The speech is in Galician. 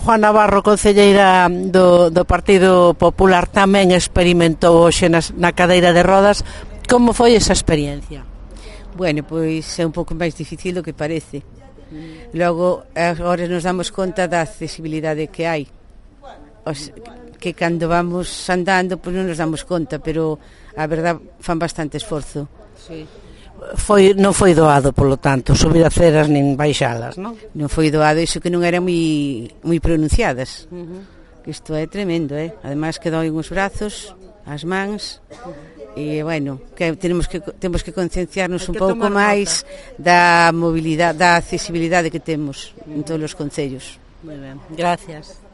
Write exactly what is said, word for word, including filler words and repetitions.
Juan Navarro, concelleira do, do Partido Popular, tamén experimentou hoxe nas, na cadeira de rodas. Como foi esa experiencia? Bueno, pois é un pouco máis difícil do que parece. Logo, agora nos damos conta da accesibilidade que hai. Os, que cando vamos andando, pois non nos damos conta, pero a verdad fan bastante esforzo. Sí. Foi, non foi doado, polo tanto, subir aceras nin baixalas, non? Non foi doado, iso que non eran moi, moi pronunciadas. Uh-huh. Isto é tremendo, eh? Ademais que doen os brazos, as mans, e, bueno, que temos que, temos que concienciarnos un pouco máis da mobilidade, da accesibilidade que temos en todos os concellos. Moi ben, gracias.